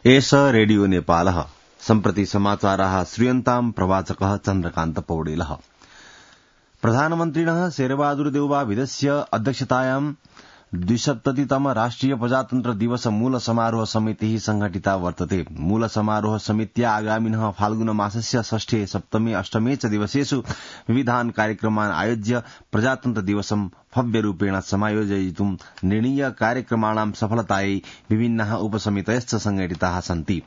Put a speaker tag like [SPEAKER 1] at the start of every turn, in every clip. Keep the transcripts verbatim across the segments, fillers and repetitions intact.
[SPEAKER 1] एष रेडियो नेपालः सम्प्रति समाचाराः श्रूयन्ताम् प्रवाचकः चन्द्रकान्त पौडेलः। प्रधानमन्त्रिणः शेरबहादुर देउवाविदस्य अध्यक्षतायां द्विसप्ततितम राष्ट्रिय प्रजातन्त्र दिवस मूल समारोह समितिः संघटिता वर्तते। मूल समारोह समित्या आगामिनः फाल्गुन मासस्य षष्ठे सप्तमे अष्टमे च दिवसेषु विविधान् कार्यक्रमान् आयोज्य प्रजातन्त्र दिवसं भव्यरूपेण समायोजयितुं निर्णीय कार्यक्रमाणां सफलतायै विभिन्नाः उपसमितयश्च संघटिताः सन्ति।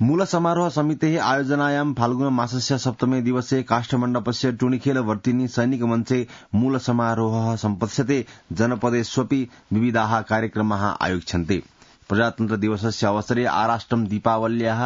[SPEAKER 1] मूल समारोह समितेः आयोजनायां फाल्गुन मासस्य सप्तमे दिवसे काष्ठमण्डपस्य टुणिखेल वर्तिनी सैनिक मञ्चे मूल समारोहः सम्पत्स्यते। जनपदेष्वपि विविधाः कार्यक्रमाः आयोज्यन्ते। प्रजातन्त्र दिवसस्य अवसरे आराष्ट्रं दीपावल्याः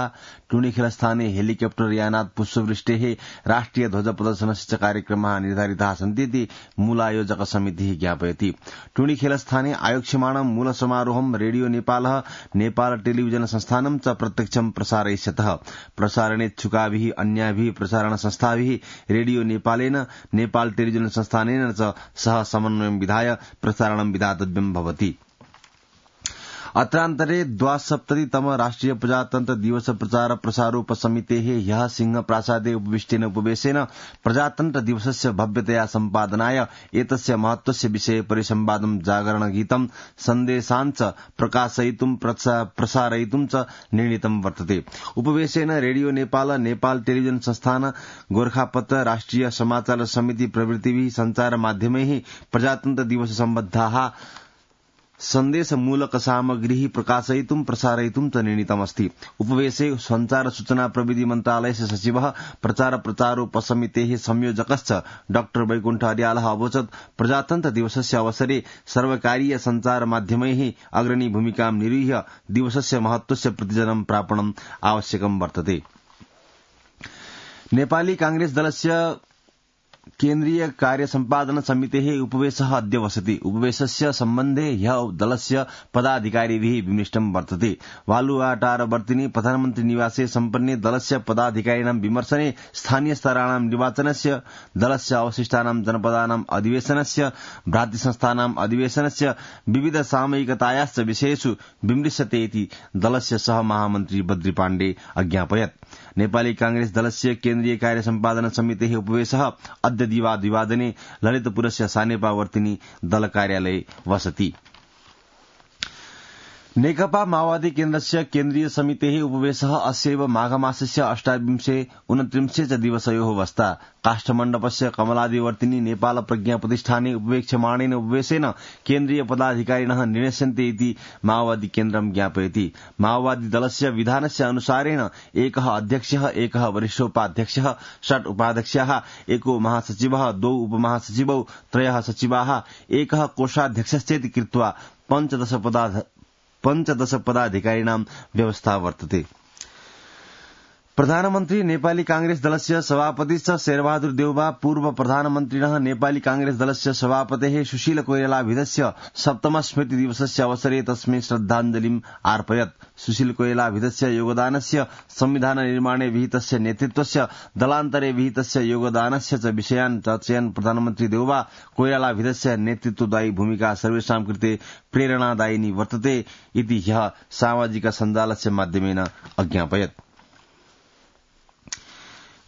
[SPEAKER 1] टुणिखेलस्थाने हेलिकप्टर यानात् पुष्पवृष्टेः राष्ट्रिय ध्वज प्रदर्शनस्य च कार्यक्रमाः निर्धारिताः सन्तीति मूलायोजक समितिः ज्ञापयति। टुणिखेलस्थाने आयोक्ष्यमाणं मूल समारोहं रेडियो नेपालः नेपाल टेलिविजन संस्थानं च प्रत्यक्षं प्रसारयिष्यतः। प्रसारणेच्छुकाभिः अन्याभिः प्रसारण संस्थाभिः रेडियो नेपालेन नेपाल टेलिविजन संस्थानेन च सह समन्वयं विधाय प्रसारणं विधातव्यं भवति। अत्रान्तरे द्वासप्ततितम राष्ट्रिय प्रजातन्त्र दिवस प्रचार प्रसारोपसमितेः ह्यः सिंह प्रासादे उपविष्टेन उपवेशेन प्रजातन्त्र दिवसस्य भव्यतया सम्पादनाय एतस्य महत्वस्य विषये परिसंवादं जागरणगीतं सन्देशाञ्च प्रकाशयितुं प्रसारयितुं च निर्णीतं वर्तते। उपवेशेन रेडियो नेपाल नेपाल टेलिविजन संस्थान गोरखापत्र राष्ट्रिय समाचार समिति प्रभृतिभिः संचार माध्यमैः प्रजातन्त्र दिवस सम्बद्धाः सन्देशमूलक सामग्री प्रकाशयितुं प्रसारयितुं च निर्णीतमस्ति। उपवेशे संचार सूचना प्रविधि मन्त्रालयस्य सचिवः प्रचार प्रचारोपसमितेः संयोजकश्च डाक्टर वैकुण्ठ अर्यालः अवोचत् प्रजातन्त्र दिवसस्य अवसरे सर्वकारीय संचार माध्यमैः अग्रणी भूमिकां निर्वह्य दिवसस्य महत्वस्य प्रतिजनं प्रापणम् आवश्यकं वर्तते। नेपाली कांग्रेस दलस्य केन्द्रीय कार्य सम्पादन समितेः उपवेशः अद्य वसति। उपवेशस्य सम्बन्धे ह्यः दलस्य पदाधिकारिभिः विमृष्टं वर्तते। वालुवाटारवर्तिनी प्रधानमन्त्री निवासे सम्पन्ने दलस्य पदाधिकारिणां विमर्शने स्थानीय स्तराणां निर्वाचनस्य दलस्य अवशिष्टानां जनपदानां अधिवेशनस्य भ्रातृसंस्थानां अधिवेशनस्य विविध सामयिकतायाश्च विषयेषु विमृश्यते इति दलस्य सह महामन्त्री बद्री पाण्डे अज्ञापयत्। नेपाली कांग्रेस दलस्य केन्द्रीय कार्य सम्पादन समितेः उपवेशः अद्य दिवाद्विवादने ललितपुरस्य सानेपावर्तिनी दल कार्यालये वसति। नेकपा माओवादी केन्द्रस्य केन्द्रीय समितेः उपवेशः अस्यैव माघमासस्य अष्टाविंशे उनत्रिंशे च दिवसयोः वस्ता। काष्ठमण्डपस्य कमलादिवर्तिनी नेपाल प्रज्ञा प्रतिष्ठाने उपवेक्ष्यमाणेन उपवेशेन केन्द्रीय पदाधिकारिणः निर्णस्यन्ते इति माओवादी केन्द्रं ज्ञापयति। माओवादी दलस्य विधानस्य अनुसारेण एकः अध्यक्षः एकः वरिष्ठोपाध्यक्षः षट् उपाध्यक्षाः एको महासचिवः द्वौ उपमहासचिवौ त्रयः सचिवाः एकः कोषाध्यक्षश्चेति कृत्वा पञ्चदश पदा पञ्चदश पदाधिकारिणां व्यवस्था वर्तते। प्रधानमन्त्री नेपाली कांग्रेस दलस्य सभापतिश्च शेरबहादुर देउवा पूर्व प्रधानमन्त्रिणः नेपाली कांग्रेस दलस्य सभापतेः सुशील कोइरालाभिदस्य सप्तम स्मृति दिवसस्य अवसरे तस्मै श्रद्धाञ्जलिम् अर्पयत्। सुशील कोइरालाभिदस्य योगदानस्य संविधान निर्माणे विहितस्य नेतृत्वस्य दलान्तरे विहितस्य योगदानस्य च विषयान् चर्चयन् प्रधानमन्त्री देउवा कोइरालाभिदस्य नेतृत्वदायी भूमिका सर्वेषां कृते प्रेरणादायिनी वर्तते इति ह्यः सामाजिक सञ्जालस्य माध्यमेन अज्ञापयत्।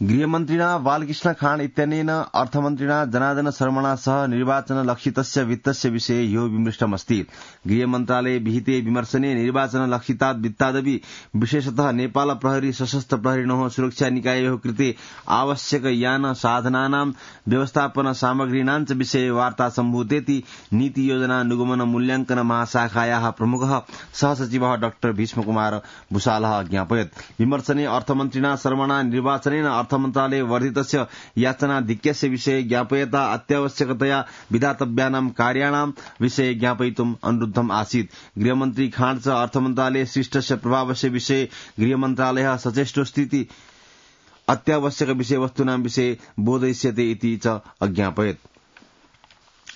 [SPEAKER 1] गृहमन्त्रिणा बालकृष्ण खाँड इत्यनेन अर्थमन्त्रिणा जनार्दन शर्मणा सह निर्वाचनलक्षितस्य वित्तस्य विषये ह्यो विमृष्टमस्ति। गृहमन्त्रालये विहिते विमर्शने निर्वाचनलक्षितात् वित्तादपि विशेषतः नेपाल प्रहरी सशस्त्र प्रहरिणोः सुरक्षा निकाययोः कृते आवश्यक यान साधनानां व्यवस्थापन सामग्रीणां च विषये वार्ता सम्भूतेति नीति योजना अनुगमन मूल्याङ्कन महाशाखायाः प्रमुखः सहसचिवः डाक्टर भीष्मकुमार भूषालः ज्ञापयत्। विमर्शने अर्थमन्त्रिणा शर्मणा निर्वाचनेन अर्थमन्त्रालये वर्धितस्य याचनाधिक्यस्य विषये ज्ञापयता अत्यावश्यकतया विधातव्यानां कार्याणां विषये ज्ञापयितुम् अनुरुद्धम् आसीत्। गृहमन्त्री खाँड च अर्थमन्त्रालये सृष्टस्य प्रभावस्य विषये गृहमन्त्रालयः सचेष्टोऽस्तीति अत्यावश्यक विषयवस्तूनां विषये बोधयिष्यते इति च अज्ञापयत्।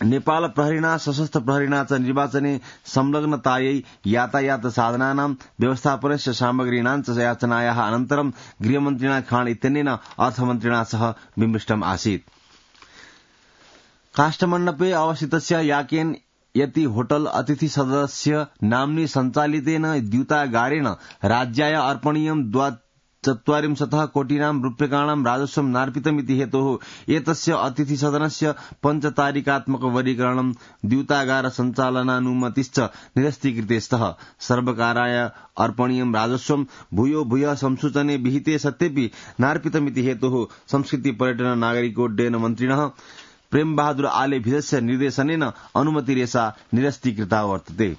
[SPEAKER 1] नेपाल प्रहरीणा सशस्त्र प्रहरीणा च निर्वाचने संलग्नतायै यातायात साधनानां व्यवस्थापनस्य सामग्रीणां च याचनायाः अनन्तरं गृहमन्त्रिणा खाँड इत्यनेन अर्थमन्त्रिणा सह विमृष्टम् आसीत्। काष्ठमण्डपे अवस्थितस्य याकेन यति होटल अतिथि सदस्य नाम्नि सञ्चालितेन द्यूतागारेण राज्याय अर्पणीयं द्वाचत्वारिंशतः कोटीनां रूप्यकाणां राजस्वं नार्पितमिति हेतोः एतस्य अतिथिसदनस्य पञ्चतारिकात्मक वरीकरणं द्यूतागार सञ्चालनानुमतिश्च निरस्तीकृते स्तः। सर्वकाराय अर्पणीयं राजस्वं भूयो भूयः संसूचने विहिते सत्यपि नार्पितमिति हेतोः संस्कृति पर्यटन नागरिकोड्डयन मन्त्रिणः प्रेम बहादुर आले भिदस्य निर्देशनेन अनुमतिरेषा निरस्तीकृता वर्तते।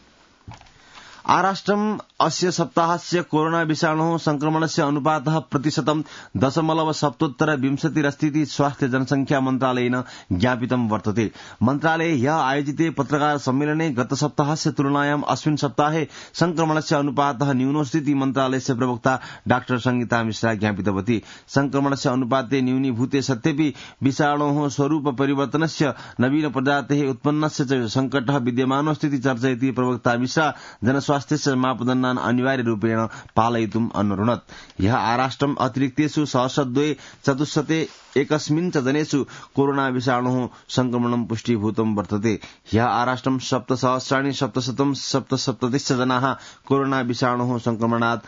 [SPEAKER 1] आराष्ट्रम् अस्य सप्ताहस्य कोरोना विषाणोः संक्रमणस्य अनुपातः प्रतिशतं दशमलव सप्तोत्तर विंशतिरस्तीति स्वास्थ्य जनसंख्या मन्त्रालयेन ज्ञापितं वर्तते। मन्त्रालये ह्यः आयोजिते पत्रकार सम्मेलने गत सप्ताहस्य तुलनायाम् अस्मिन् सप्ताहे संक्रमणस्य अनुपातः न्यूनोऽस्तीति मन्त्रालयस्य प्रवक्ता डाक्टर संगीता मिश्रा ज्ञापितवती। संक्रमणस्य अनुपाते न्यूनीभूते सत्यपि विषाणोः स्वरूप परिवर्तनस्य नवीन प्रजातेः उत्पन्नस्य च संकटः विद्यमानोऽस्तीति चर्चयति प्रवक्ता मिश्रा जनस्वास्थ्यस्य मापदण्डान् अनिवार्य रूपेण पालयितुम् अनुरुणत्। यः आराष्ट्रम् अतिरिक्तेषु सहस्रद्वये चतुश्शते एकस्मिन् च जनेषु कोरोना विषाणोः संक्रमणं पुष्टीभूतं वर्तते। ह्यः आराष्ट्रं सप्तसहस्राणि सप्तशतं सप्तसप्ततिश्च जनाः कोरोना विषाणोः संक्रमणात्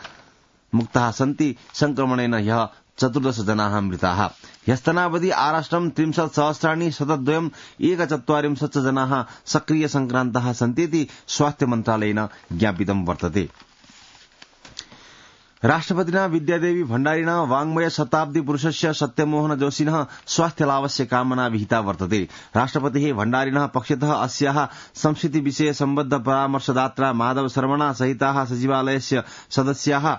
[SPEAKER 1] मुक्ताः सन्ति। संक्रमणेन ह्यः चतुर्दश जनाः मृताः। ह्यस्तनावधि आराष्ट्रं त्रिंशत् सहस्राणि शतद्वयम् एकचत्वारिंशत् जनाः सक्रिय संक्रान्ताः सन्तीति स्वास्थ्य मन्त्रालयेन ज्ञापितं वर्तते। राष्ट्रपतिना विद्यादेवी भण्डारिणा वाङ्मय शताब्दी पुरुषस्य सत्यमोहन जोशिनः स्वास्थ्यलाभस्य कामना विहिता वर्तते। राष्ट्रपतिः भण्डारिणः पक्षतः अस्याः संस्कृति विषय सम्बद्ध परामर्शदात्रा माधव शर्मणा सहिताः सचिवालयस्य सदस्याः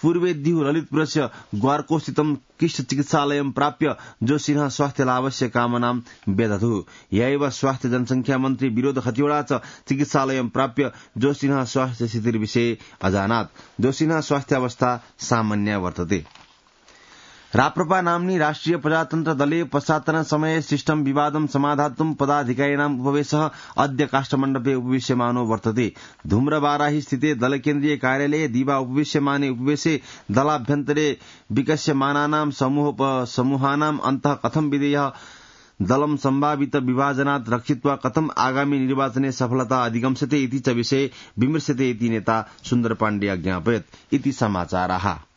[SPEAKER 1] पूर्वेद्युः ललितपुरस्य ग्वार्कोस्थितं किष्ट चिकित्सालयं प्राप्य जोशिनः स्वास्थ्यलाभस्य कामनां व्यदधुः। यैव स्वास्थ्य जनसंख्या मन्त्री विनोद खतिवड़ा च चिकित्सालयं प्राप्य जोशिनः स्वास्थ्य स्थितिर्विषये अजानात्। जोशिनः स्वास्थ्यावस्था सामान्या वर्तते। राप्रपा नाम्नि राष्ट्रिय प्रजातन्त्र दले पश्चात्तन समये सृष्टं विवादं समाधातुं पदाधिकारिणाम् उपवेशः अद्य काष्ठमण्डपे उपविश्यमानो वर्तते। धूम्रबाराहि स्थिते दलकेन्द्रीय कार्यालये दिवा उपविश्यमाने उपवेशे दलाभ्यन्तरे विकस्यमानानां समूहोपसमूहानाम् अन्तः कथं विधेयः दलं सम्भावित विभाजनात् रक्षित्वा कथम् आगामी निर्वाचने सफलता अधिगम्स्यते इति च विषये विमृश्यते इति नेता सुन्दर पाण्डे अज्ञापयत् इति समाचाराः।